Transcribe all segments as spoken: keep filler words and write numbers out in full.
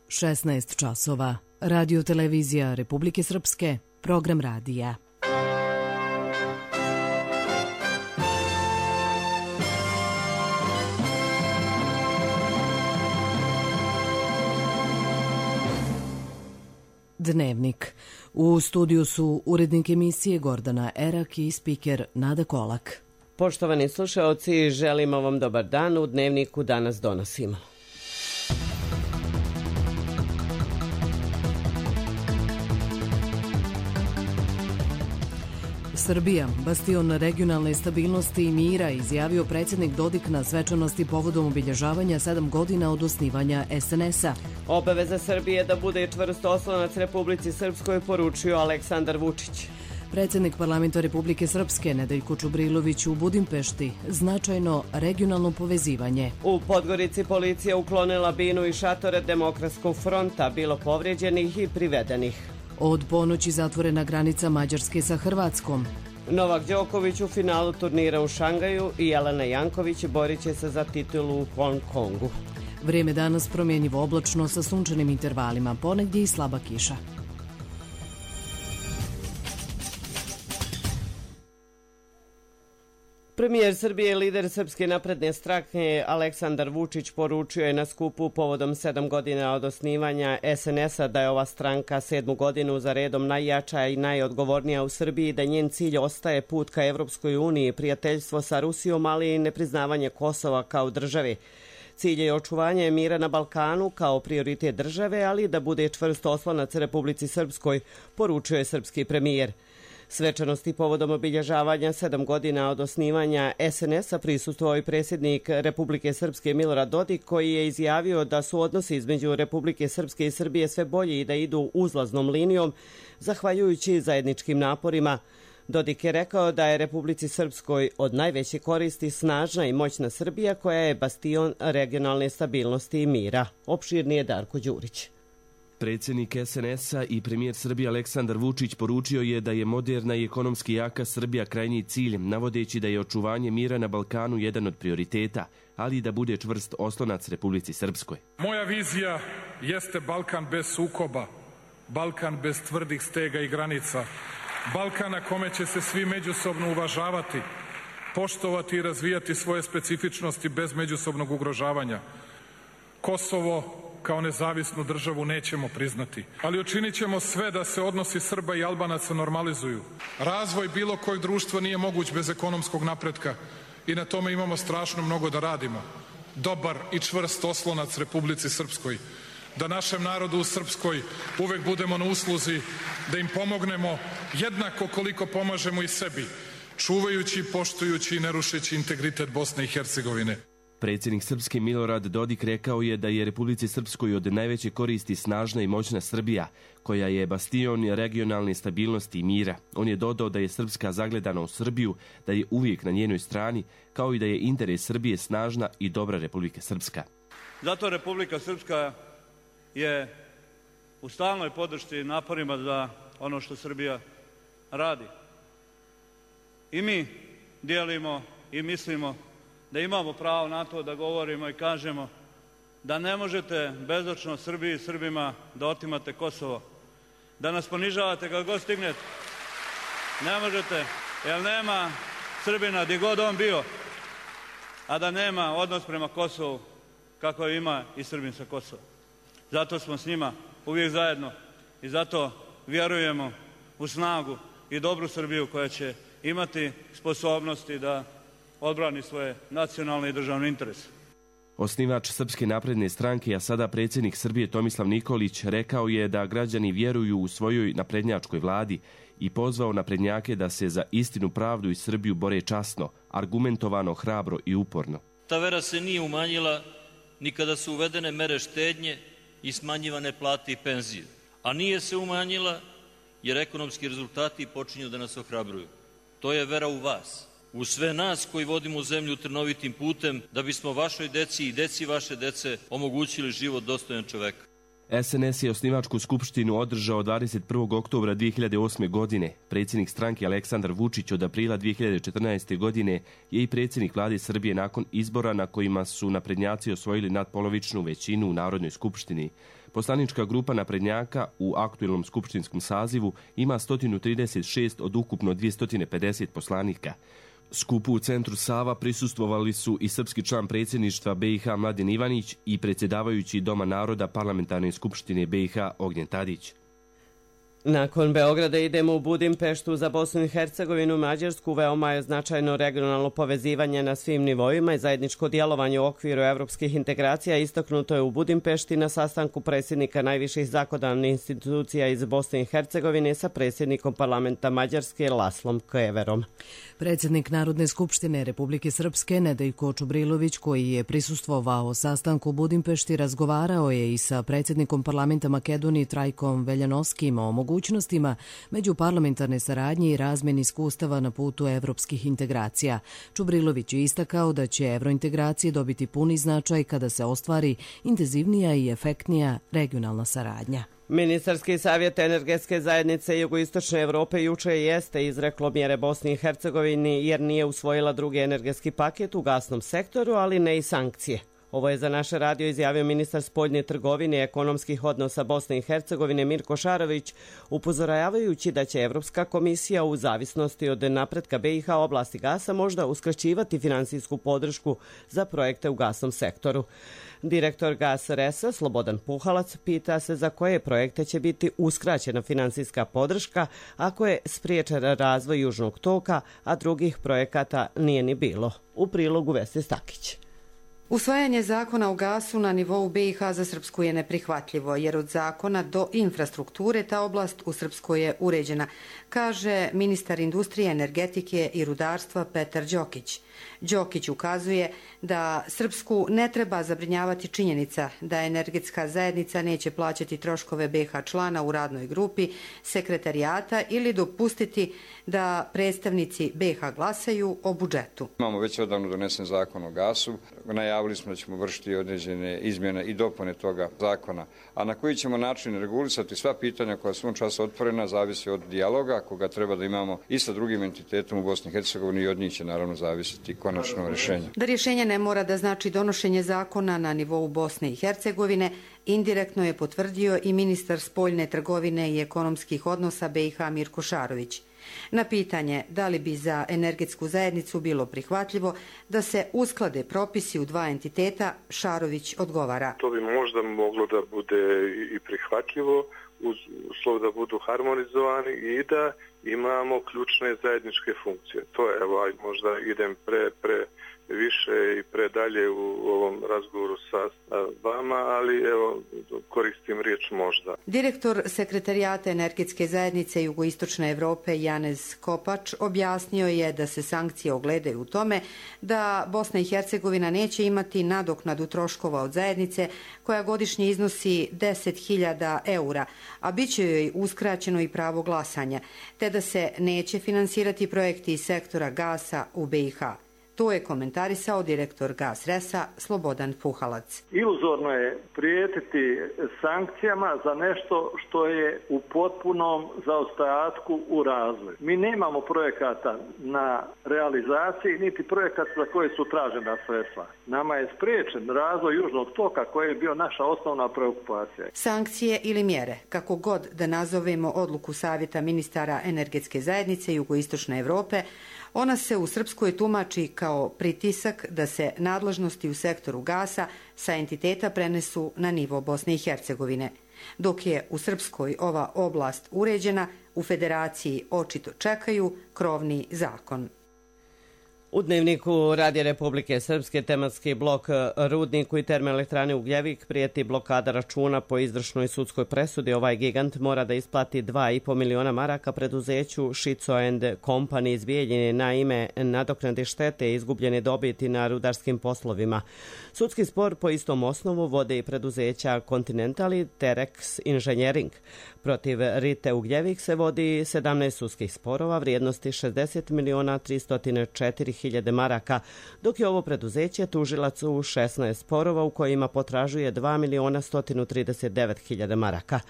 šesnaest časova. Radio televizija Republike Srpske, program radija. Dnevnik. U studiju su urednik emisije Gordana Erak i spiker Nada Kolak. Poštovani slušaoci, želimo vam dobar dan. U Dnevniku danas donosimo. Srbija, bastion regionalne stabilnosti i mira, izjavio predsjednik Dodik na svečanosti povodom obilježavanja sedam godina od osnivanja es en es a. Obaveza Srbije da bude čvrst oslonac Republici Srpskoj, poručio Aleksandar Vučić. Predsjednik parlamenta Republike Srpske Nedeljko Čubrilović u Budimpešti, značajno regionalno povezivanje. U Podgorici policija uklonila binu i šatore Demokratskog fronta, bilo povrijeđenih i privedenih. Od ponoći zatvorena granica Mađarske sa Hrvatskom. Novak Đoković u finalu turnira u Šangaju i Jelena Janković borit će se za titulu u Hong Kongu. Vrijeme danas promjenjivo oblačno sa sunčanim intervalima, ponegdje i slaba kiša. Premijer Srbije i lider Srpske napredne stranke Aleksandar Vučić poručio je na skupu povodom sedam godina od osnivanja es en es a da je ova stranka sedmu godinu za redom najjača i najodgovornija u Srbiji, da njen cilj ostaje put ka Evropskoj uniji, prijateljstvo sa Rusijom, ali i nepriznavanje Kosova kao države. Cilj je očuvanje mira na Balkanu kao prioritet države, ali da bude čvrst oslonac Republici Srpskoj, poručio je srpski premijer. Svečanosti povodom obilježavanja sedam godina od osnivanja es en es a prisustvovao i predsjednik Republike Srpske Milorad Dodik, koji je izjavio da su odnosi između Republike Srpske i Srbije sve bolji i da idu uzlaznom linijom, zahvaljujući zajedničkim naporima. Dodik je rekao da je Republici Srpskoj od najveće koristi snažna i moćna Srbija, koja je bastion regionalne stabilnosti i mira. Opširnije Darko Đurić. Predsjednik es en es a i premijer Srbije Aleksandar Vučić poručio je da je moderna i ekonomski jaka Srbija krajnji cilj, navodeći da je očuvanje mira na Balkanu jedan od prioriteta, ali i da bude čvrst oslonac Republici Srpskoj. Moja vizija jeste Balkan bez sukoba, Balkan bez tvrdih stega i granica, Balkan na kome će se svi međusobno uvažavati, poštovati i razvijati svoje specifičnosti bez međusobnog ugrožavanja. Kosovo kao nezavisnu državu nećemo priznati, ali učinit ćemo sve da se odnosi Srba i Albanaca normalizuju. Razvoj bilo kojeg društva nije moguć bez ekonomskog napretka i na tome imamo strašno mnogo da radimo. Dobar i čvrst oslonac Republici Srpskoj, da našem narodu u Srpskoj uvek budemo na usluzi, da im pomognemo jednako koliko pomažemo i sebi, čuvajući, poštujući i ne rušeći integritet Bosne i Hercegovine. Predsjednik Srpske Milorad Dodik rekao je da je Republici Srpskoj od najveće koristi snažna i moćna Srbija, koja je bastion regionalne stabilnosti i mira. On je dodao da je Srpska zagledana u Srbiju, da je uvijek na njenoj strani, kao i da je interes Srbije snažna i dobra Republika Srpska. Zato Republika Srpska je u stalnoj podršci naporima za ono što Srbija radi. I mi dijelimo i mislimo da imamo pravo na to da govorimo i kažemo da ne možete bezočno Srbiji i Srbima da otimate Kosovo, da nas ponižavate kad god stignete. Ne možete, jer nema Srbina gdje god on bio, a da nema odnos prema Kosovu kako ima i Srbin sa Kosova. Zato smo s njima uvijek zajedno i zato vjerujemo u snagu i dobru Srbiju koja će imati sposobnosti da odbrani svoje nacionalne i državne interese. Osnivač Srpske napredne stranke, a sada predsjednik Srbije Tomislav Nikolić, rekao je da građani vjeruju u svojoj naprednjačkoj vladi i pozvao naprednjake da se za istinu, pravdu i Srbiju bore časno, argumentovano, hrabro i uporno. Ta vera se nije umanjila ni kada su uvedene mere štednje i smanjivane plate i penzije, a nije se umanjila jer ekonomski rezultati počinju da nas ohrabruju. To je vera u vas, u sve nas koji vodimo zemlju trnovitim putem da bismo vašoj deci i deci vaše dece omogućili život dostojan čoveka. es en es je osnivačku skupštinu održao dvadeset prvog oktobra dvije hiljade osme. godine. Predsjednik stranke Aleksandar Vučić od aprila dvije hiljade četrnaeste. godine je i predsjednik vlade Srbije nakon izbora na kojima su naprednjaci osvojili nadpolovičnu većinu u Narodnoj skupštini. Poslanička grupa naprednjaka u aktuelnom skupštinskom sazivu ima sto trideset šest od ukupno dvjesto pedeset poslanika. Skupu u centru Sava prisustvovali su i srpski član predsjedništva be i ha Mladen Ivanić i predsjedavajući Doma naroda Parlamentarne skupštine be i ha Ognjen Tadić. Nakon Beograda idemo u Budimpeštu za Bosnu i Hercegovinu, Mađarsku. Veoma je značajno regionalno povezivanje na svim nivoima i zajedničko djelovanje u okviru evropskih integracija istaknuto je u Budimpešti na sastanku predsjednika najviših zakonodavnih institucija iz Bosne i Hercegovine sa predsjednikom parlamenta Mađarske Laslom Keverom. Predsjednik Narodne skupštine Republike Srpske Nedejko Čubrilović, koji je prisustvovao sastanku u Budimpešti, razgovarao je i sa predsjednikom parlamenta Makedonije Trajkom Veljanovskim o mogućnostima međuparlamentarne saradnje i razmjeni iskustava na putu evropskih integracija. Čubrilović je istakao da će evrointegracije dobiti puni značaj kada se ostvari intenzivnija i efektnija regionalna saradnja. Ministarski savjet energetske zajednice Jugoistočne Evrope juče jeste izreklo mjere Bosni i Hercegovini jer nije usvojila drugi energetski paket u gasnom sektoru, ali ne i sankcije. Ovo je za naš radio izjavio ministar spoljne trgovine i ekonomskih odnosa Bosne i Hercegovine Mirko Šarović, upozoravajući da će Evropska komisija u zavisnosti od napretka be i ha oblasti gasa možda uskraćivati finansijsku podršku za projekte u gasnom sektoru. Direktor Gas Resa Slobodan Puhalac pita se za koje projekte će biti uskraćena finansijska podrška ako je spriječen razvoj Južnog toka, a drugih projekata nije ni bilo. U prilogu Vesne Stakić. Usvajanje zakona o gasu na nivou be i ha za Srpsku je neprihvatljivo, jer od zakona do infrastrukture ta oblast u Srpskoj je uređena, kaže ministar industrije, energetike i rudarstva Petar Đokić. Đokić ukazuje da Srpsku ne treba zabrinjavati činjenica da energetska zajednica neće plaćati troškove be ha člana u radnoj grupi, sekretarijata ili dopustiti da predstavnici be ha glasaju o budžetu. Imamo već odavno donesen zakon o gasu. Najavili smo da ćemo vršiti određene izmjene i dopune toga zakona. A na koji ćemo način regulisati sva pitanja koja su u času otvorena zavisi od dijaloga koga treba da imamo i sa drugim entitetom u Bosni i Hercegovini i od njih će naravno zavisiti konačno rješenje. Da rješenje ne mora da znači donošenje zakona na nivou Bosne i Hercegovine, indirektno je potvrdio i ministar spoljne trgovine i ekonomskih odnosa be i ha Mirko Šarović. Na pitanje da li bi za energetsku zajednicu bilo prihvatljivo da se usklade propisi u dva entiteta, Šarović odgovara. To bi možda moglo da bude i prihvatljivo, uz uslov da budu harmonizovani i da imamo ključne zajedničke funkcije. To je, evo, možda idem pre, pre više i predalje u ovom razgovoru sa vama, ali evo koristim riječ možda. Direktor sekretarijata energetske zajednice Jugoistočne Evrope Janez Kopač objasnio je da se sankcije ogledaju u tome da Bosna i Hercegovina neće imati nadoknadu troškova od zajednice koja godišnje iznosi deset hiljada eura, a bit će joj uskraćeno i pravo glasanja, te da se neće finansirati projekti iz sektora gasa u be i ha. To je komentarisao direktor Gas Resa Slobodan Puhalac. Iluzorno je prijetiti sankcijama za nešto što je u potpunom zaostajatku u razvoju. Mi nemamo projekata na realizaciji, niti projekata za koje su tražena sredstva. Nama je spriječen razvoj Južnog toka koji je bio naša osnovna preokupacija. Sankcije ili mjere, kako god da nazovemo odluku Savjeta ministara energetske zajednice Jugoistočne Evrope, ona se u Srpskoj tumači kao pritisak da se nadležnosti u sektoru gasa sa entiteta prenesu na nivo Bosne i Hercegovine. Dok je u Srpskoj ova oblast uređena, u Federaciji očito čekaju krovni zakon. U Dnevniku Radija Republike Srpske tematski blok Rudniku i termoelektrane Ugljevik prijeti blokada računa po izvršnoj sudskoj presudi. Ovaj gigant mora da isplati dva i po miliona maraka preduzeću Šico and Company iz Bijeljine na ime nadoknade štete i izgubljene dobiti na rudarskim poslovima. Sudski spor po istom osnovu vode i preduzeća Continental i Terex Engineering. Protiv Rite Ugljevik se vodi sedamnaest sudskih sporova vrijednosti šezdeset miliona tristo četiri hiljade maraka, dok je ovo preduzeće tužilac u šesnaest sporova u kojima potražuje dva miliona sto trideset devet hiljada maraka.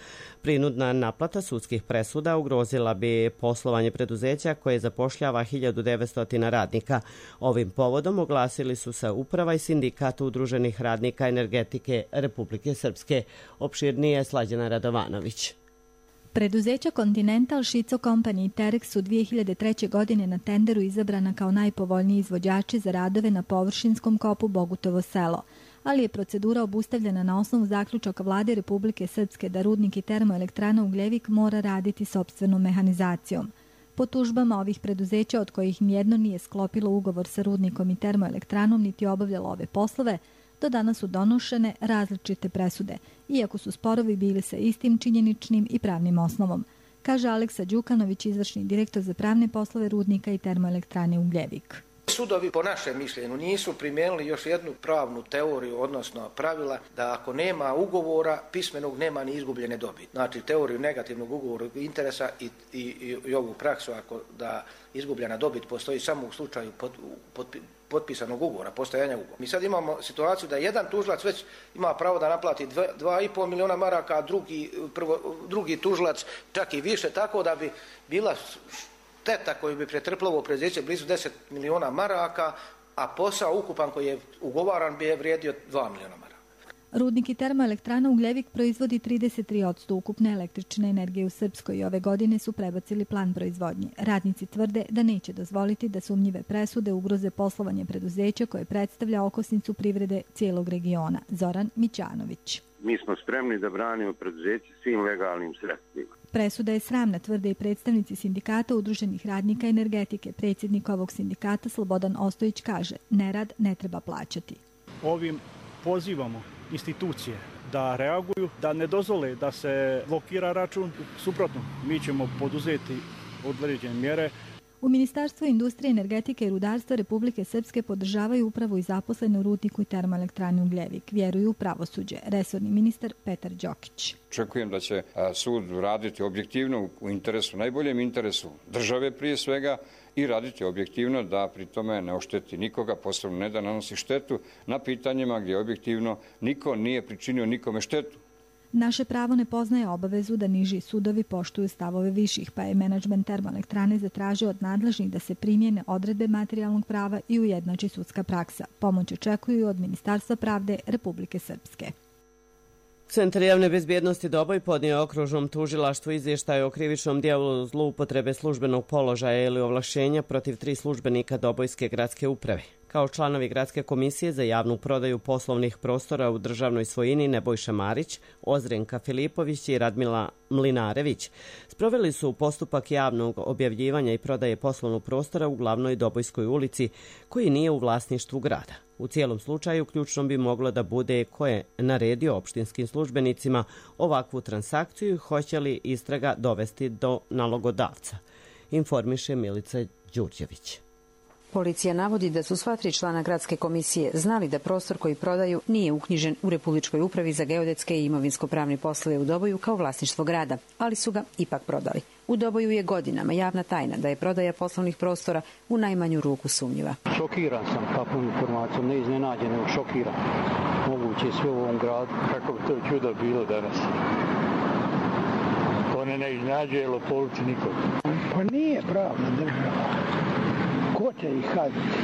Prinudna naplata sudskih presuda ugrozila bi poslovanje preduzeća koje zapošljava hiljadu devetsto radnika. Ovim povodom oglasili su se uprava i sindikat udruženih radnika energetike Republike Srpske. Opširnije Slađana Radovanović. Preduzeća Continental, Šico Company i Terex su dvije hiljade treće. godine na tenderu izabrana kao najpovoljniji izvođači za radove na površinskom kopu Bogutovo selo, ali je procedura obustavljena na osnovu zaključaka Vlade Republike Srpske da rudnik i termoelektrana Ugljevik mora raditi sopstvenom mehanizacijom. Po tužbama ovih preduzeća, od kojih nijedno nije sklopilo ugovor sa rudnikom i termoelektranom niti obavljalo ove poslove, do danas su donošene različite presude, iako su sporovi bili sa istim činjeničnim i pravnim osnovom, kaže Aleksa Đukanović, izvršni direktor za pravne poslove rudnika i termoelektrane Ugljevik. Sudovi, po našem mišljenju, nisu primijenili još jednu pravnu teoriju, odnosno pravila da ako nema ugovora, pismenog nema ni izgubljene dobiti. Znači, teoriju negativnog ugovornog interesa i, i, i ovu praksu, ako da izgubljena dobit postoji samo u slučaju pot, pot, potpisanog ugovora, postojanja ugovora. Mi sad imamo situaciju da jedan tužilac već ima pravo da naplati dva i pol miliona maraka, a drugi, prvo, drugi tužilac čak i više, tako da bi bila šteta koju bi pretrpilo ovo preduzeće blizu deset miliona maraka, a posao ukupan koji je ugovaran bi je vrijedio dva miliona maraka. Rudnik i termoelektrana Ugljevik proizvodi trideset tri posto ukupne električne energije u Srpskoj i ove godine su prebacili plan proizvodnje. Radnici tvrde da neće dozvoliti da sumnjive presude ugroze poslovanje preduzeća koje predstavlja okosnicu privrede cijelog regiona. Zoran Mićanović. Mi smo spremni da branimo preduzeće svim legalnim sredstvima. Presuda je sramna, tvrde i predstavnici sindikata udruženih radnika energetike. Predsjednik ovog sindikata Slobodan Ostojić kaže: nerad ne treba plaćati. Ovim pozivamo institucije da reaguju, da ne dozvole da se blokira račun. Suprotno, mi ćemo poduzeti određene mjere. U Ministarstvu industrije, energetike i rudarstva Republike Srpske podržavaju upravu i zaposlene u rudniku i termoelektrani Ugljevik. Vjeruju u pravosuđe. Resorni ministar Petar Đokić. Očekujem da će sud raditi objektivno u interesu, najboljem interesu države prije svega, i raditi objektivno da pri tome ne ošteti nikoga, posebno ne da nanosi štetu na pitanjima gdje objektivno niko nije pričinio nikome štetu. Naše pravo ne poznaje obavezu da niži sudovi poštuju stavove viših, pa je menadžment termoelektrane zatražio od nadležnih da se primjene odredbe materijalnog prava i ujednači sudska praksa. Pomoć očekuju od Ministarstva pravde Republike Srpske. Centar javne bezbjednosti Doboj podnio okružnom tužilaštvu izvještaj o krivičnom dijelu zloupotrebe službenog položaja ili ovlašćenja protiv tri službenika Dobojske gradske uprave. Kao članovi Gradske komisije za javnu prodaju poslovnih prostora u državnoj svojini Nebojša Marić, Ozrenka Filipović i Radmila Mlinarević sproveli su postupak javnog objavljivanja i prodaje poslovnog prostora u glavnoj Dobojskoj ulici koji nije u vlasništvu grada. U cijelom slučaju ključno bi moglo da bude ko je naredio opštinskim službenicima ovakvu transakciju i hoće li istraga dovesti do nalogodavca, informiše Milica Đurđević. Policija navodi da su sva tri člana Gradske komisije znali da prostor koji prodaju nije uknjižen u Republičkoj upravi za geodetske i imovinsko-pravne poslove u Doboju kao vlasništvo grada, ali su ga ipak prodali. U Doboju je godinama javna tajna da je prodaja poslovnih prostora u najmanju ruku sumnjiva. Šokiran sam takvom informacijom, ne iznenađen, nego šokiran. Moguće sve u ovom gradu. Kako bi to čudo bilo danas? To ne ne iznenađuje lopovci nikog. Pa nije pravna država. Ko će ih kazniti?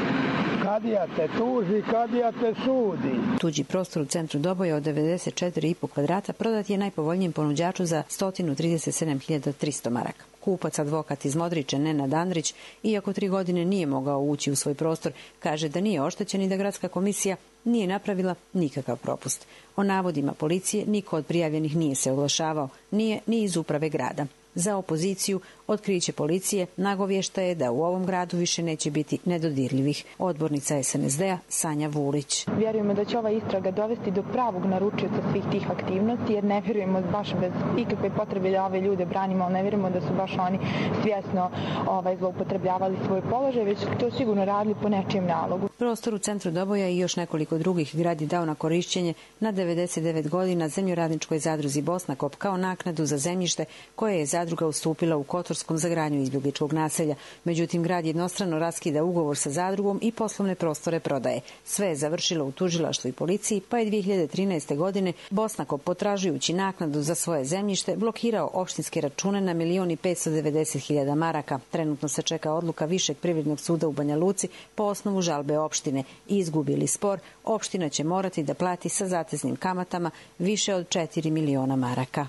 Kadija te tuži, kadija te sudi. Tuđi prostor u centru Doboja od devedeset četiri i po kvadrata prodat je najpovoljnijem ponuđaču za sto trideset sedam hiljada tristo maraka. Kupac, advokat iz Modriče, Nenad Andrić, iako tri godine nije mogao ući u svoj prostor, kaže da nije oštećen i da Gradska komisija nije napravila nikakav propust. O navodima policije niko od prijavljenih nije se oglašavao, nije ni iz uprave grada. Za opoziciju otkriće policije nagovješta je da u ovom gradu više neće biti nedodirljivih. Odbornica es en es de a Sanja Vulić. Vjerujemo da će ova istraga dovesti do pravog naručioca svih tih aktivnosti, jer ne vjerujemo baš bez ikakve potrebe da ove ljude branimo, ali ne vjerujemo da su baš oni svjesno ovaj, zloupotrebljavali svoj položaj, već to sigurno radili po nečijem nalogu. Prostor u centru Doboja i još nekoliko drugih grad je dao na korišćenje na devedeset devet godina zemljoradničkoj zadruzi Bosnakop kao naknadu za zemljište koje je zadruga zadruga ustupila u Kotorskom za gradnju izbjegličkog naselja. Međutim, grad jednostrano raskida ugovor sa zadrugom i poslovne prostore prodaje. Sve je završilo u tužilaštvu i policiji, pa je dvije hiljade trinaeste. godine Bosnako, potražujući naknadu za svoje zemljište, blokirao opštinske račune na milion i petsto devedeset hiljada maraka. Trenutno se čeka odluka Višeg privrednog suda u Banja Luci po osnovu žalbe opštine. Izgubili spor, opština će morati da plati sa zateznim kamatama više od četiri miliona maraka.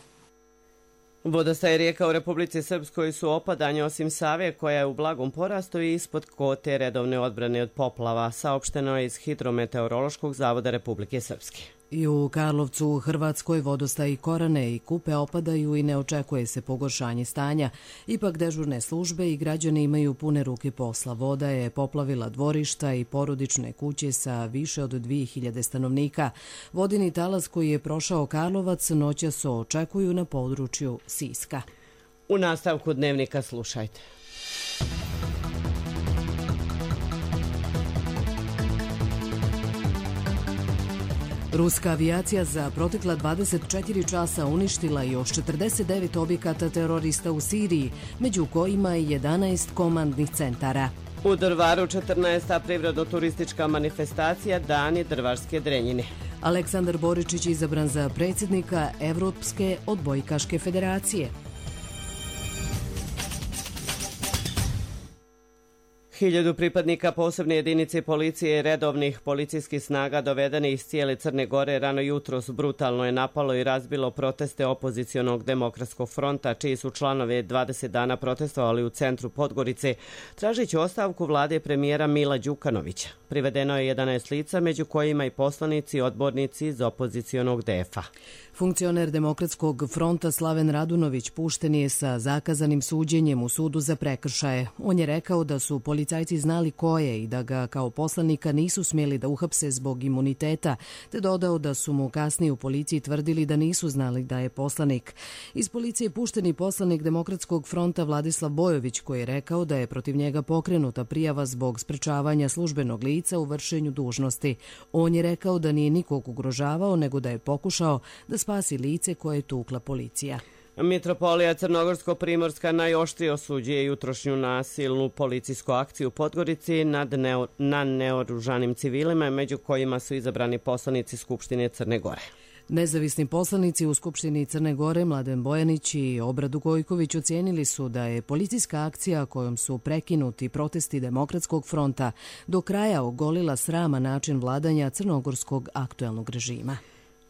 Vodostaje rijeka u Republici Srpskoj su opadanje, osim Save koja je u blagom porastu i ispod kote redovne odbrane od poplava, saopšteno je iz Hidrometeorološkog zavoda Republike Srpske. I u Karlovcu u Hrvatskoj vodostaji Korane i Kupe opadaju i ne očekuje se pogoršanje stanja. Ipak dežurne službe i građani imaju pune ruke posla. Voda je poplavila dvorišta i porodične kuće sa više od dvije hiljade stanovnika. Vodeni talas koji je prošao Karlovac noćas očekuju na području Siska. U nastavku dnevnika slušajte. Ruska avijacija za protekla dvadeset četiri časa uništila još četrdeset devet objekata terorista u Siriji, među kojima i jedanaest komandnih centara. U Drvaru četrnaesta privredno-turistička manifestacija Dani drvarske drenjine. Aleksandar Boričić izabran za predsjednika Evropske odbojkaške federacije. Hiljadu pripadnika posebne jedinice policije i redovnih policijskih snaga dovedeni iz cijele Crne Gore rano jutros brutalno je napalo i razbilo proteste opozicionog demokratskog fronta, čiji su članove dvadeset dana protestovali u centru Podgorice, tražići ostavku vlade premijera Mila Đukanovića. Privedeno je jedanaest lica, među kojima i poslanici i odbornici iz opozicionog D F-a. Funkcioner Demokratskog fronta Slaven Radunović pušten je sa zakazanim suđenjem u sudu za prekršaje. On je rekao da su policajci znali ko je i da ga kao poslanika nisu smjeli da uhapse zbog imuniteta, te dodao da su mu kasnije u policiji tvrdili da nisu znali da je poslanik. Iz policije pušteni poslanik Demokratskog fronta Vladislav Bojović, koji je rekao da je protiv njega pokrenuta prijava zbog sprečavanja službenog lica u vršenju dužnosti. On je rekao da nije nikog ugrožavao, nego da je pokušao da spasi lice koje je tukla policija. Mitropolija Crnogorsko-Primorska najoštrije osuđuje jutrošnju nasilnu policijsku akciju u Podgorici nad neo, na neoružanim civilima, među kojima su izabrani poslanici Skupštine Crne Gore. Nezavisni poslanici u Skupštini Crne Gore Mladen Bojanić i Obradu Gojković ocijenili su da je policijska akcija kojom su prekinuti protesti Demokratskog fronta do kraja ogolila srama način vladanja crnogorskog aktuelnog režima.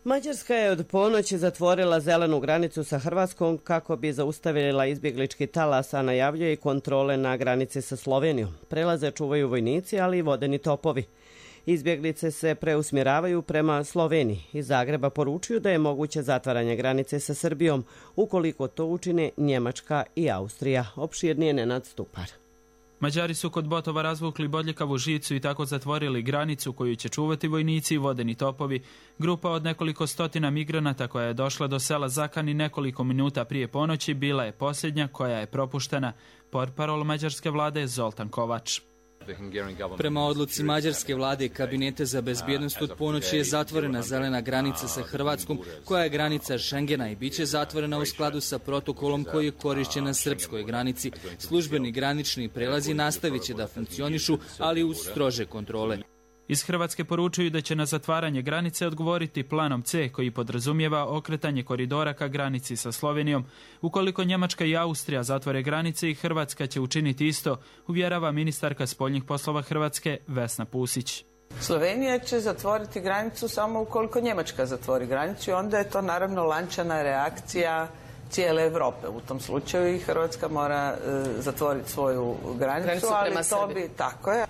Mađarska je od ponoći zatvorila zelenu granicu sa Hrvatskom kako bi zaustavila izbjeglički talas, a najavljuje i kontrole na granici sa Slovenijom. Prelaze čuvaju vojnici, ali i vodeni topovi. Izbjeglice se preusmjeravaju prema Sloveniji. Iz Zagreba poručuju da je moguće zatvaranje granice sa Srbijom, ukoliko to učine Njemačka i Austrija. Opširnije Nenad Stupar. Mađari su kod Botova razvukli bodljikavu žicu i tako zatvorili granicu koju će čuvati vojnici i vodeni topovi. Grupa od nekoliko stotina migranata koja je došla do sela Zakani nekoliko minuta prije ponoći bila je posljednja koja je propuštena. Portparol mađarske vlade Zoltan Kovač. Prema odluci mađarske vlade i kabinete za bezbjednost od ponoći je zatvorena zelena granica sa Hrvatskom, koja je granica Schengena i bit će zatvorena u skladu sa protokolom koji je korišćen na srpskoj granici. Službeni granični prelazi nastavit će da funkcionišu, ali uz strože kontrole. Iz Hrvatske poručuju da će na zatvaranje granice odgovoriti planom C, koji podrazumijeva okretanje koridora ka granici sa Slovenijom. Ukoliko Njemačka i Austrija zatvore granice, i Hrvatska će učiniti isto, uvjerava ministarka spoljnih poslova Hrvatske Vesna Pusić. Slovenija će zatvoriti granicu samo ukoliko Njemačka zatvori granicu i onda je to naravno lančana reakcija cijele Europe. U tom slučaju i Hrvatska mora e, zatvoriti svoju granicu, granicu ali to bi tako je.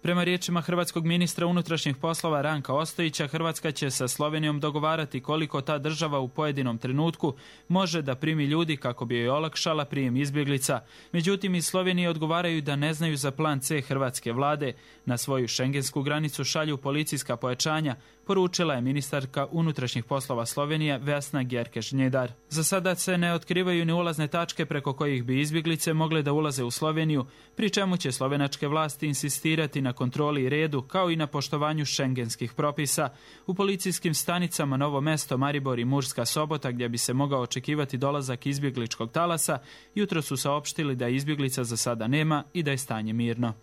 Prema riječima hrvatskog ministra unutrašnjih poslova Ranka Ostojića, Hrvatska će sa Slovenijom dogovarati koliko ta država u pojedinom trenutku može da primi ljudi kako bi joj olakšala prijem izbjeglica. Međutim, iz Slovenije odgovaraju da ne znaju za plan C hrvatske vlade. Na svoju šengensku granicu šalju policijska pojačanja, poručila je ministarka unutrašnjih poslova Slovenije Vesna Gerkeš-Njedar. Za sada se ne otkrivaju ni ulazne tačke preko kojih bi izbjeglice mogle da ulaze u Sloveniju, pri čemu će slovenačke vlasti insistirati na na kontroli i redu, kao i na poštovanju šengenskih propisa. U policijskim stanicama Novo Mesto, Maribor i Murska Sobota, gdje bi se mogao očekivati dolazak izbjegličkog talasa, jutro su saopštili da izbjeglica za sada nema i da je stanje mirno.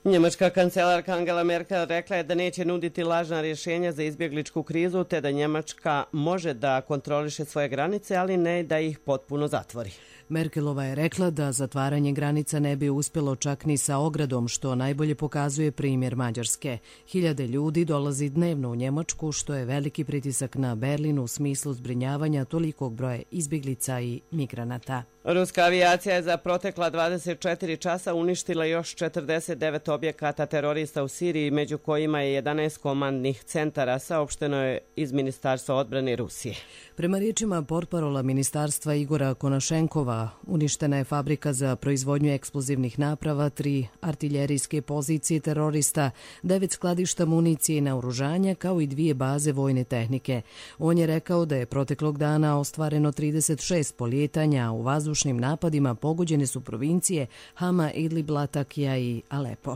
Njemačka kancelarka Angela Merkel rekla je da neće nuditi lažna rješenja za izbjegličku krizu, te da Njemačka može da kontroliše svoje granice, ali ne da ih potpuno zatvori. Merkelova je rekla da zatvaranje granica ne bi uspjelo čak ni sa ogradom, što najbolje pokazuje primjer Mađarske. Hiljade ljudi dolazi dnevno u Njemačku, što je veliki pritisak na Berlin u smislu zbrinjavanja tolikog broja izbjeglica i migranata. Ruska avijacija je za protekla dvadeset četiri časa uništila još četrdeset devet objekata terorista u Siriji, među kojima je jedanaest komandnih centara, saopšteno je iz Ministarstva odbrane Rusije. Prema riječima portparola ministarstva Igora Konašenkova, uništena je fabrika za proizvodnju eksplozivnih naprava, tri artiljerijske pozicije terorista, devet skladišta municije i naoružanja, kao i dvije baze vojne tehnike. On je rekao da je proteklog dana ostvareno trideset šest polijetanja, u vazdušnim napadima pogođene su provincije Hama, Idlib, Latakija i Alepo.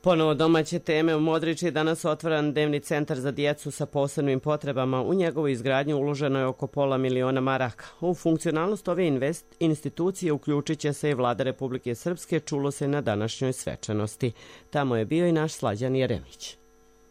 Ponovo domaće teme. U Modriči je danas otvoren dnevni centar za djecu sa posebnim potrebama. U njegovu izgradnju uloženo je oko pola miliona maraka. U funkcionalnost ove invest institucije uključit će se i vlada Republike Srpske, čulo se na današnjoj svečanosti. Tamo je bio i naš Slađan Jeremić.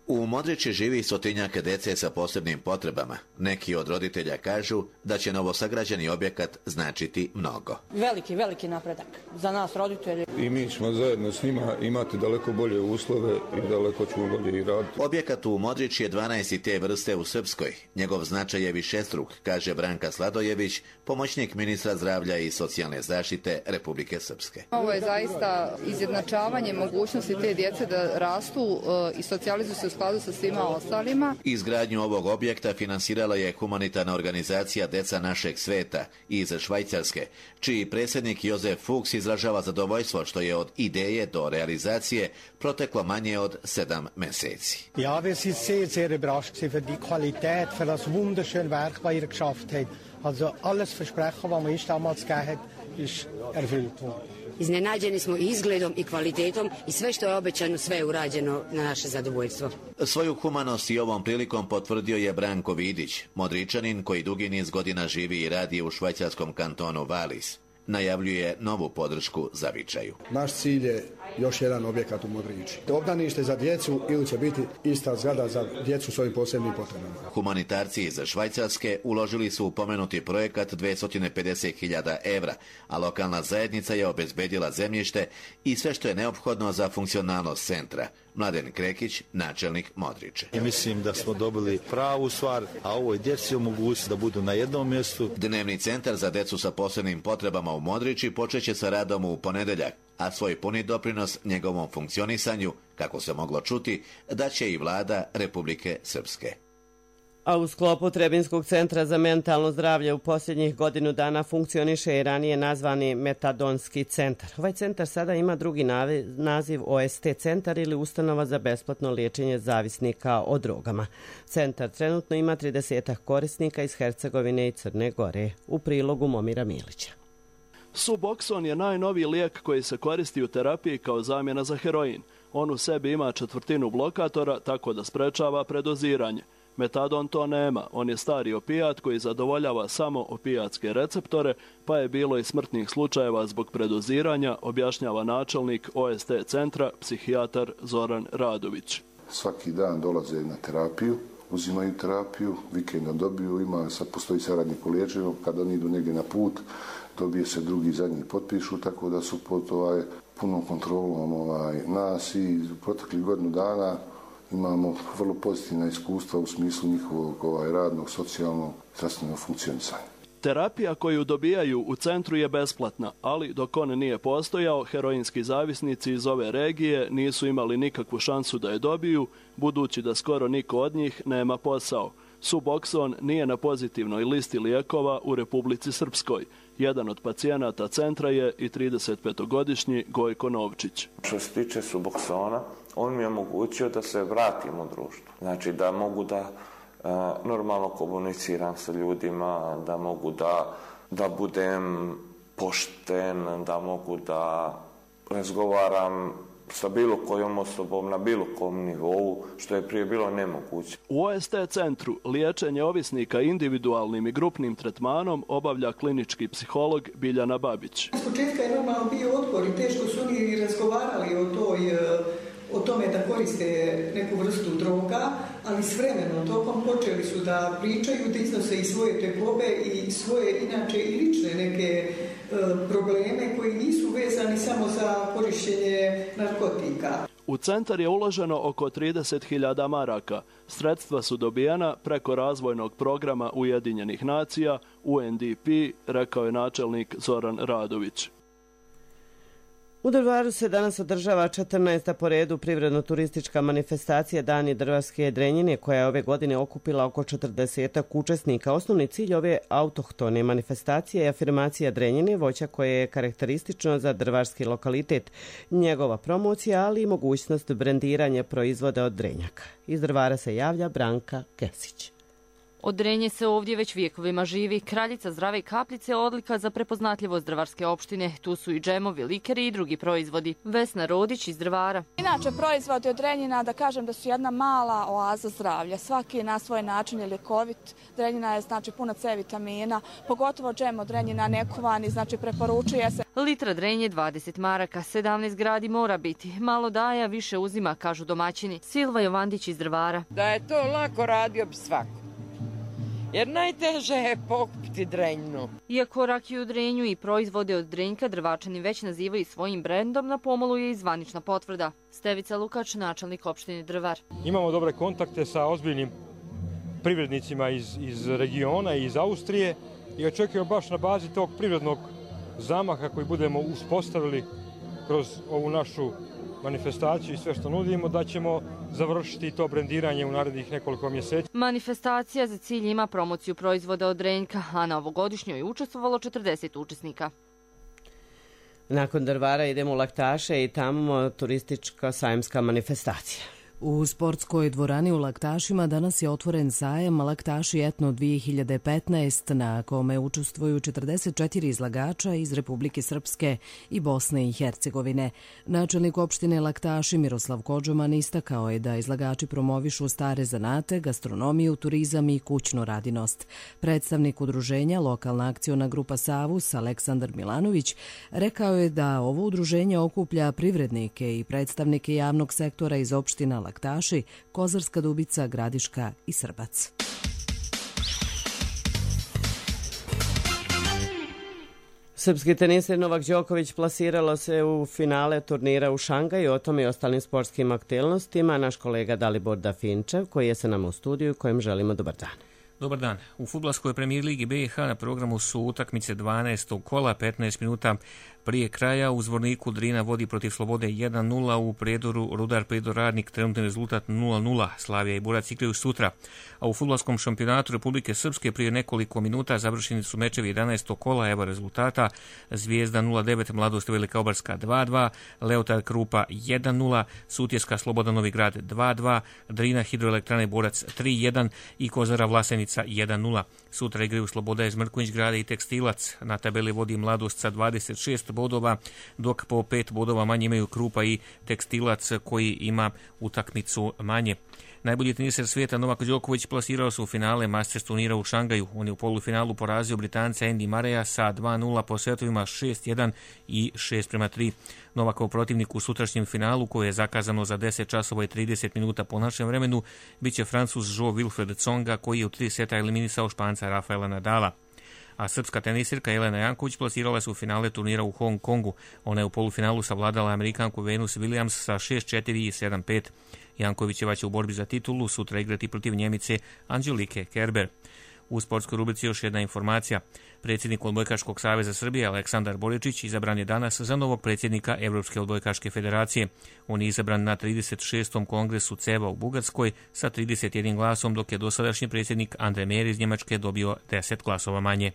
U Modriči živi stotinjak dece sa posebnim potrebama. Neki od roditelja kažu da će novosagrađeni objekat značiti mnogo. Veliki, veliki napredak za nas roditelji. I mi ćemo zajedno s njima imati daleko bolje uslove i daleko ćemo bolje i raditi. Objekat u Modriči je dvanaest te vrste u Srpskoj. Njegov značaj je višestruk, kaže Branka Sladojević, pomoćnik ministra zdravlja i socijalne zaštite Republike Srpske. Ovo je zaista izjednačavanje mogućnosti te djece da rastu i socijalizuju se u skladu sa svima ostalima. Izgradnju ovog objekta finansirala je humanitarna organizacija Deca našeg sveta iz Švajcarske, čiji predsjednik Jozef Fuchs izražava zadovoljstvo što je od ideje do realizacije proteklo manje od sedam mjeseci. Ja, wir sind sehr, sehr überrascht für die Qualität, für das wunderschöne Werk, was ihr geschafft habt. Also alles Versprechen, was man uns damals gegeben hat, ist erfüllt worden. Iznenađeni smo i izgledom i kvalitetom i sve što je obećano, sve je urađeno na naše zadovoljstvo. Svoju humanost i ovom prilikom potvrdio je Branko Vidić, Modričanin koji dugi niz godina živi i radi u švajcarskom kantonu Valis. Najavljuje novu podršku za Vičaju. Naš cilj je još jedan objekat u Modriči. Obdanište za djecu ili će biti ista zgrada za djecu s ovim posebnim potrebama. Humanitarci iz Švajcarske uložili su u pomenuti projekat dvjesto pedeset hiljada evra, a lokalna zajednica je obezbedila zemljište i sve što je neophodno za funkcionalnost centra. Mladen Krekić, načelnik Modriče. I mislim da smo dobili pravu stvar, a ovoj djeci omogućiti da budu na jednom mjestu. Dnevni centar za djecu sa posebnim potrebama u Modriči počeće sa radom u ponedeljak, a svoj puni doprinos njegovom funkcionisanju, kako se moglo čuti, daće i vlada Republike Srpske. A u sklopu Trebinskog centra za mentalno zdravlje u posljednjih godinu dana funkcioniše i ranije nazvani Metadonski centar. Ovaj centar sada ima drugi naziv O S T centar ili ustanova za besplatno liječenje zavisnika o drogama. Centar trenutno ima trideset korisnika iz Hercegovine i Crne Gore. U prilogu Momira Milića. Suboxone je najnoviji lijek koji se koristi u terapiji kao zamjena za heroin. On u sebi ima četvrtinu blokatora, tako da sprečava predoziranje. Metadon to nema, on je stari opijat koji zadovoljava samo opijatske receptore, pa je bilo i smrtnih slučajeva zbog predoziranja, objašnjava načelnik O S T centra, psihijatar Zoran Radović. Svaki dan dolaze na terapiju, uzimaju terapiju, vikenda dobiju, ima, sad postoji saradnik u liječenju, kada oni idu negdje na put, dobije se drugi, zadnji potpišu, tako da su pod ovaj, punom kontrolom ovaj, nas i proteklih godinu dana imamo vrlo pozitivna iskustva u smislu njihovog ovaj, radnog, socijalnog, zdravstvenog funkcionisanja. Terapija koju dobijaju u centru je besplatna, ali dok on nije postojao, heroinski zavisnici iz ove regije nisu imali nikakvu šansu da je dobiju, budući da skoro niko od njih nema posao. Suboxone nije na pozitivnoj listi lijekova u Republici Srpskoj. Jedan od pacijenata centra je i tridesetpetogodišnji Gojko Novčić. Što se tiče Suboxona, on mi je omogućio da se vratim u društvo. Znači da mogu da uh, normalno komuniciram sa ljudima, da mogu da, da budem pošten, da mogu da razgovaram sa bilo kojom osobom na bilo kom nivou, što je prije bilo nemoguće. U O S T centru liječenje ovisnika individualnim i grupnim tretmanom obavlja klinički psiholog Biljana Babić. S početka je normalno bio otpor i teško su oni razgovarali o toj o tome da koriste neku vrstu droga, ali s vremenom tokom počeli su da pričaju, da iznose i svoje tegobe i svoje inače i lične neke e, probleme koji nisu vezani samo za korištenje narkotika. U centar je uloženo oko trideset hiljada maraka. Sredstva su dobijena preko razvojnog programa Ujedinjenih nacija, U N D P, rekao je načelnik Zoran Radović. U Drvaru se danas održava četrnaesta po redu privredno-turistička manifestacija Dani drvarske drenjine, koja je ove godine okupila oko četrdesetak učesnika. Osnovni cilj ove autohtone manifestacije je afirmacija drenjine, voća koje je karakteristično za drvarski lokalitet, njegova promocija, ali i mogućnost brendiranja proizvoda od drenjaka. Iz Drvara se javlja Branka Kesić. Od drenje se ovdje već vijekovima živi. Kraljica zdrave kapljice odlika za prepoznatljivost drvarske opštine. Tu su i džemovi, likeri i drugi proizvodi. Vesna Rodić iz Drvara. Inače, proizvodi od drenjina, da kažem da su jedna mala oaza zdravlja. Svaki na svoj način je ljekovit. Drenjina je znači puna C vitamina, pogotovo džem od drenjina nekuvani, znači preporučuje se. Litra drenje dvadeset maraka, sedamnaest gradi mora biti. Malo daje, više uzima, kažu domaćini. Silva Jovandić iz Drvara. Da je to lako, radio bi svako. Jer najteže je pokupiti drenjnu. Iako rakiju drenju i proizvode od drenjka Drvačani već nazivaju svojim brendom, na pomolu je i zvanična potvrda. Stevica Lukač, načelnik opštine Drvar. Imamo dobre kontakte sa ozbiljnim privrednicima iz, iz regiona i iz Austrije i očekujemo baš na bazi tog privrednog zamaha koji budemo uspostavili kroz ovu našu manifestaciju i sve što nudimo, da ćemo završiti to brendiranje u narednih nekoliko mjeseci. Manifestacija za cilj ima promociju proizvoda od drenjka, a na ovogodišnjoj je učestvovalo četrdeset učesnika. Nakon Drvara idemo u Laktaše i tamo turistička sajamska manifestacija. U sportskoj dvorani u Laktašima danas je otvoren sajam Laktaši etno dvije hiljade petnaest na kome učestvuju četrdeset četiri izlagača iz Republike Srpske i Bosne i Hercegovine. Načelnik opštine Laktaši Miroslav Kodžoman istakao je da izlagači promovišu stare zanate, gastronomiju, turizam i kućnu radinost. Predstavnik udruženja Lokalna akciona grupa Savus Aleksandar Milanović rekao je da ovo udruženje okuplja privrednike i predstavnike javnog sektora iz opština Laktaši, Laktaši, Kozarska Dubica, Gradiška i Srbac. Srpski teniser Novak Đoković plasiralo se u finale turnira u Šangaju. O tome i ostalim sportskim aktualnostima naš kolega Dalibor Dafinčev, koji je sa nama u studiju, kojem želimo dobar dan. Dobar dan. U fudbalskoj premijer ligi B i H na programu su utakmice dvanaestog kola, petnaest minuta prije kraja. U Zvorniku Drina vodi protiv Slobode jedan nula, u Prijedoru Rudar Prijedor Radnik trenutni rezultat nula nula. Slavija i Burac igraju sutra. A u fudbalskom šampionatu Republike Srpske prije nekoliko minuta završeni su mečevi jedanaestog kola, evo rezultata. Zvijezda nula devet, Mladost Velika Obarska dva dva, Leotar Krupa jedan nula, Sutjeska Sloboda Novi Grad dva dva, Drina Hidroelektrane Borac tri jedan i Kozara Vlasenica jedan nula. Sutra igraju Sloboda iz Mrkonjić Grada i Tekstilac. Na tabeli vodi Mladost sa dvadeset šest bodova, dok po pet bodova manje imaju Krupa i Tekstilac koji ima utakmicu manje. Najbolji teniser svijeta Novak Đoković plasirao se u finale Masters turnira u Šangaju. On je u polufinalu porazio Britanca Andy Murraya sa dva nula po setovima šest jedan i šest prema tri. Novakov protivnik u sutrašnjem finalu, koje je zakazano za deset časova i trideset minuta po našem vremenu, bit će Francuz Jo Wilfred Tsonga, koji je u tri seta eliminisao Španca Rafaela Nadala. A srpska tenisirka Jelena Janković plasirala se u finale turnira u Hong Kongu. Ona je u polufinalu savladala Amerikanku Venus Williams sa šest četiri i sedam pet. Jankovićeva će u borbi za titulu sutra igrati protiv Njemice Anđelike Kerber. U sportskoj rubrici još jedna informacija. Predsjednik Odbojkaškog saveza Srbije Aleksandar Boričić izabran je danas za novog predsjednika Evropske odbojkaške federacije. On je izabran na trideset šestom kongresu C E V A u Bugarskoj sa trideset jednim glasom, dok je dosadašnji predsjednik Andre Mer iz Njemačke dobio deset glasova manje.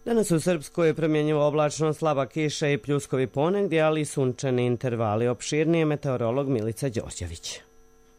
Danas u Srpskoj je promjenjivo oblačno, slaba kiša i pljuskovi ponegdje, ali i sunčani intervali. Opširnije meteorolog Milica Đorđević.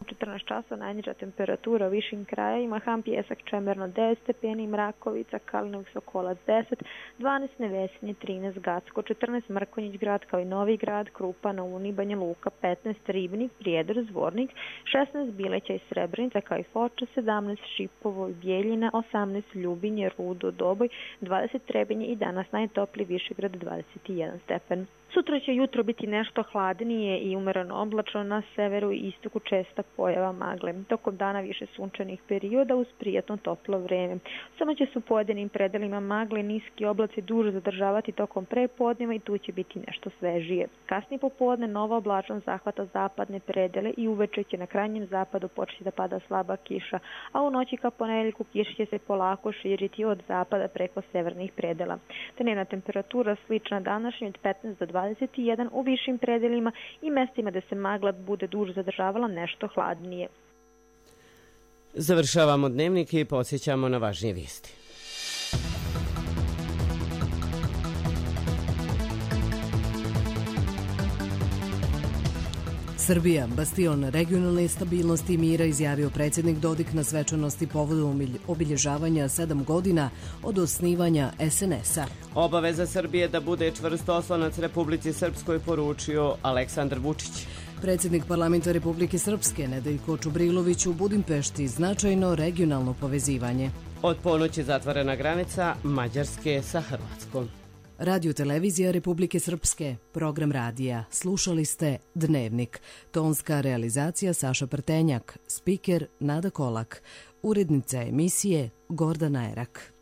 četrnaest časova najniža temperatura u višim krajevima, Ham Pijesak Čemerno devet stepeni, Mrakovica, Kalinog Sokolac deset, dvanaest Nevesinje, trinaest Gacko, četrnaest Mrkonjić grad kao i Novi grad, Krupa, na Uni, Banja Luka, petnaest Ribnik, Prijedor, Zvornik, šesnaest Bileća i Srebrenica kao i Foča, sedamnaest Šipovo i Bijeljina, osamnaest Ljubinje, Rudo, Doboj, dvadeset Trebinje i danas najtopliji Višegrad dvadeset jedan stepen. Sutra će jutro biti nešto hladnije i umereno oblačno, na severu i istoku česta pojava magle. Tokom dana više sunčanih perioda uz prijatno toplo vreme. Samo će se u pojedinim predelima magle niski oblaci duže zadržavati tokom prepodneva i tu će biti nešto svežije. Kasnije popodne nova oblačnost zahvata zapadne predele i uveče će na krajnjem zapadu početi da pada slaba kiša, a u noći ka ponedjeljku kiša će se polako širiti od zapada preko severnih predela. Dnevna temperatura slična današnjoj od petnaest do dvadeset jedan u višim predelima i mestima da se magla bude duže zadržavala nešto hladnije. Završavamo dnevnik i podsjećamo na važnije vijesti. Srbija, bastion regionalne stabilnosti i mira, izjavio predsjednik Dodik na svečanosti povodom obilježavanja sedam godina od osnivanja es en es a. Obaveza Srbije da bude čvrst oslonac Republici Srpskoj, poručio Aleksandar Vučić. Predsjednik parlamenta Republike Srpske Nedeljko Čubrilović u Budimpešti značajno regionalno povezivanje. Od ponoći zatvorena granica Mađarske sa Hrvatskom. Radio televizija Republike Srpske, program radija. Slušali ste Dnevnik. Tonska realizacija Saša Prtenjak, spiker Nada Kolak, urednica emisije Gordana Erak.